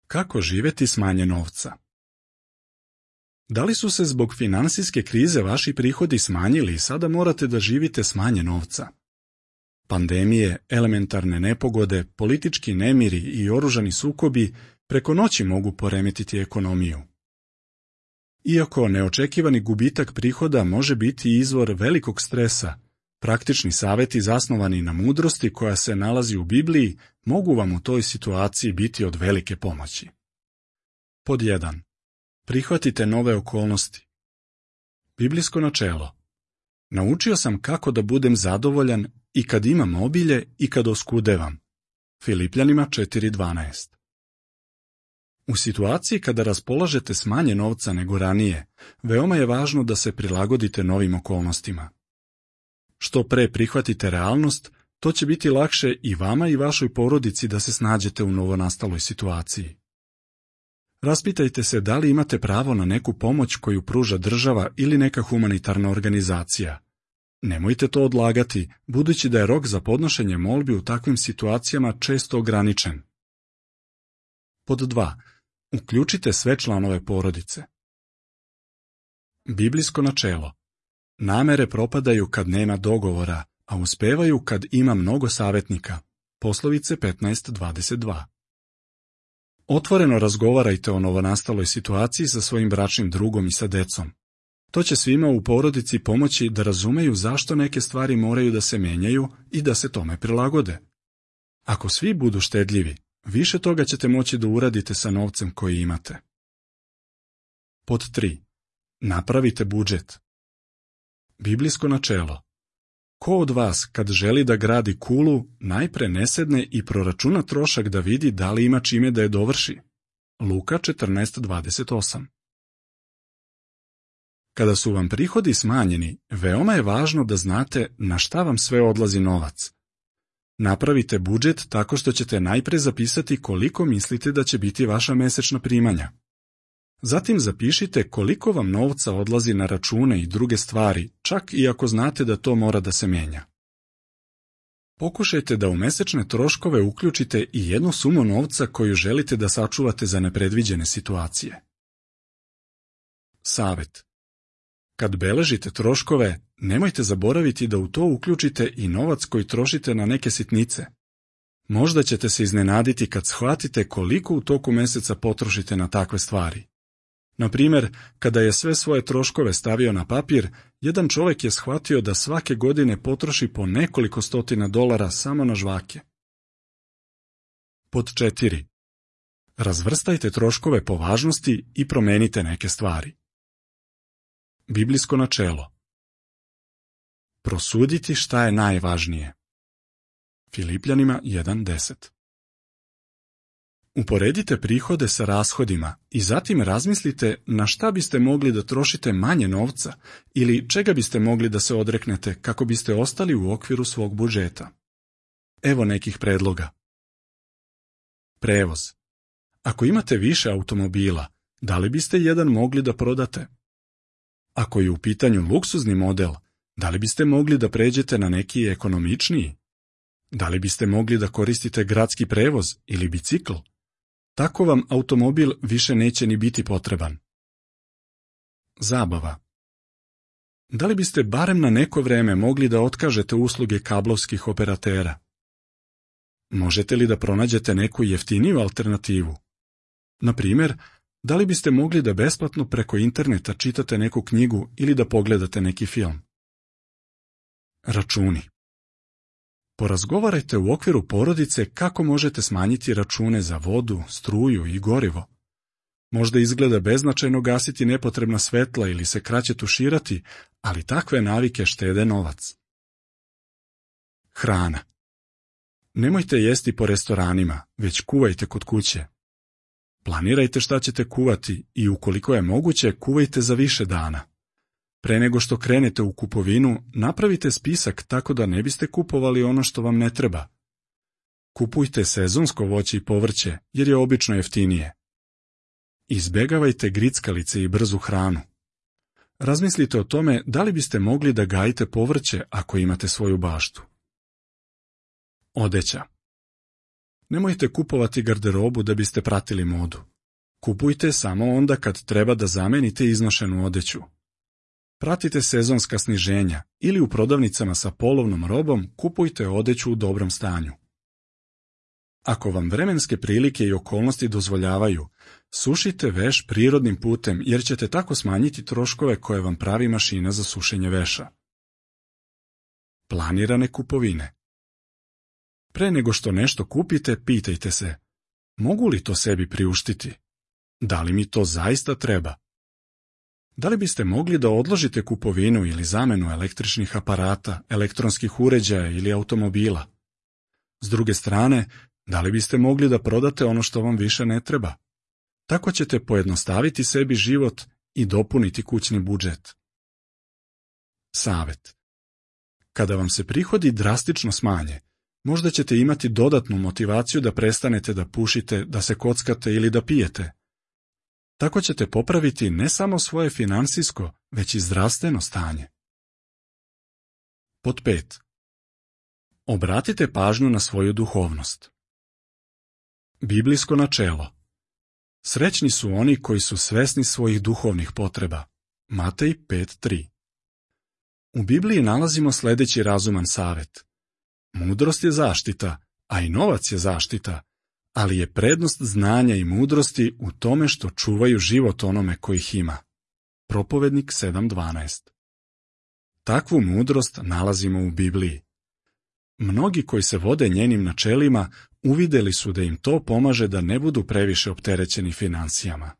Kako živjeti s manje novca? Da li su se zbog financijske krize vaši prihodi smanjili i sada morate da živite s manje novca? Pandemije, elementarne nepogode, politički nemiri i oružani sukobi preko noći mogu poremetiti ekonomiju. Iako neočekivani gubitak prihoda može biti izvor velikog stresa, praktični savjeti zasnovani na mudrosti koja se nalazi u Bibliji mogu vam u toj situaciji biti od velike pomoći. Pod 1. Prihvatite nove okolnosti. Biblijsko načelo. Naučio sam kako da budem zadovoljan i kad imam obilje i kad oskudevam. Filipljanima 4.12. U situaciji kada raspolažete s manje novca nego ranije, veoma je važno da se prilagodite novim okolnostima. Što pre prihvatite realnost, to će biti lakše i vama i vašoj porodici da se snađete u novonastaloj situaciji. Raspitajte se da li imate pravo na neku pomoć koju pruža država ili neka humanitarna organizacija. Nemojte to odlagati, budući da je rok za podnošenje molbi u takvim situacijama često ograničen. Pod 2. Uključite sve članove porodice. Biblijsko načelo. Namere propadaju kad nema dogovora, a uspevaju kad ima mnogo savjetnika. Poslovice 15.22. Otvoreno razgovarajte o novonastaloj situaciji sa svojim bračnim drugom i sa decom. To će svima u porodici pomoći da razumeju zašto neke stvari moraju da se menjaju i da se tome prilagode. Ako svi budu štedljivi, više toga ćete moći da uradite sa novcem koji imate. Pod 3. Napravite budžet. Biblijsko načelo. Ko od vas, kad želi da gradi kulu, najpre ne sedne i proračuna trošak da vidi da li ima čime da je dovrši? Luka 14.28. Kada su vam prihodi smanjeni, veoma je važno da znate na šta vam sve odlazi novac. Napravite budžet tako što ćete najpre zapisati koliko mislite da će biti vaša mesečna primanja. Zatim zapišite koliko vam novca odlazi na račune i druge stvari, čak i ako znate da to mora da se menja. Pokušajte da u mesečne troškove uključite i jednu sumu novca koju želite da sačuvate za nepredviđene situacije. Savet. Kad beležite troškove, nemojte zaboraviti da u to uključite i novac koji trošite na neke sitnice. Možda ćete se iznenaditi kad shvatite koliko u toku meseca potrošite na takve stvari. Na primjer, kada je sve svoje troškove stavio na papir, jedan čovjek je shvatio da svake godine potroši po nekoliko stotina dolara samo na žvake. Pod 4. Razvrstajte troškove po važnosti i promenite neke stvari. Biblijsko načelo. Prosuditi šta je najvažnije. Filipljanima 1.10. Uporedite prihode sa rashodima i zatim razmislite na šta biste mogli da trošite manje novca ili čega biste mogli da se odreknete kako biste ostali u okviru svog budžeta. Evo nekih predloga. Prevoz. Ako imate više automobila, da li biste jedan mogli da prodate? Ako je u pitanju luksuzni model, da li biste mogli da pređete na neki ekonomičniji? Da li biste mogli da koristite gradski prevoz ili bicikl? Tako vam automobil više neće ni biti potreban. Zabava. Da li biste barem na neko vreme mogli da otkažete usluge kablovskih operatera? Možete li da pronađete neku jeftiniju alternativu? Na primjer, da li biste mogli da besplatno preko interneta čitate neku knjigu ili da pogledate neki film? Računi. Porazgovarajte u okviru porodice kako možete smanjiti račune za vodu, struju i gorivo. Možda izgleda beznačajno gasiti nepotrebna svetla ili se kraće tuširati, ali takve navike štede novac. Hrana. Nemojte jesti po restoranima, već kuvajte kod kuće. Planirajte šta ćete kuvati i ukoliko je moguće, kuvajte za više dana. Pre nego što krenete u kupovinu, napravite spisak tako da ne biste kupovali ono što vam ne treba. Kupujte sezonsko voće i povrće, jer je obično jeftinije. Izbegavajte grickalice i brzu hranu. Razmislite o tome da li biste mogli da gajite povrće ako imate svoju baštu. Odeća. Nemojte kupovati garderobu da biste pratili modu. Kupujte samo onda kad treba da zamenite iznošenu odeću. Pratite sezonska sniženja ili u prodavnicama sa polovnom robom kupujte odeću u dobrom stanju. Ako vam vremenske prilike i okolnosti dozvoljavaju, sušite veš prirodnim putem jer ćete tako smanjiti troškove koje vam pravi mašina za sušenje veša. Planirane kupovine. Pre nego što nešto kupite, pitajte se, mogu li to sebi priuštiti? Da li mi to zaista treba? Da li biste mogli da odložite kupovinu ili zamenu električnih aparata, elektronskih uređaja ili automobila? S druge strane, da li biste mogli da prodate ono što vam više ne treba? Tako ćete pojednostaviti sebi život i dopuniti kućni budžet. Savet. Kada vam se prihodi drastično smanje, možda ćete imati dodatnu motivaciju da prestanete da pušite, da se kockate ili da pijete. Tako ćete popraviti ne samo svoje finansijsko, već i zdravstveno stanje. Pod 5. Obratite pažnju na svoju duhovnost. Biblijsko načelo. Srećni su oni koji su svesni svojih duhovnih potreba. Matej 5.3. U Bibliji nalazimo sljedeći razuman savjet. Mudrost je zaštita, a i novac je zaštita, ali je prednost znanja i mudrosti u tome što čuvaju život onome koji ih ima. Propovednik 7.12. Takvu mudrost nalazimo u Bibliji. Mnogi koji se vode njenim načelima uvideli su da im to pomaže da ne budu previše opterećeni finansijama.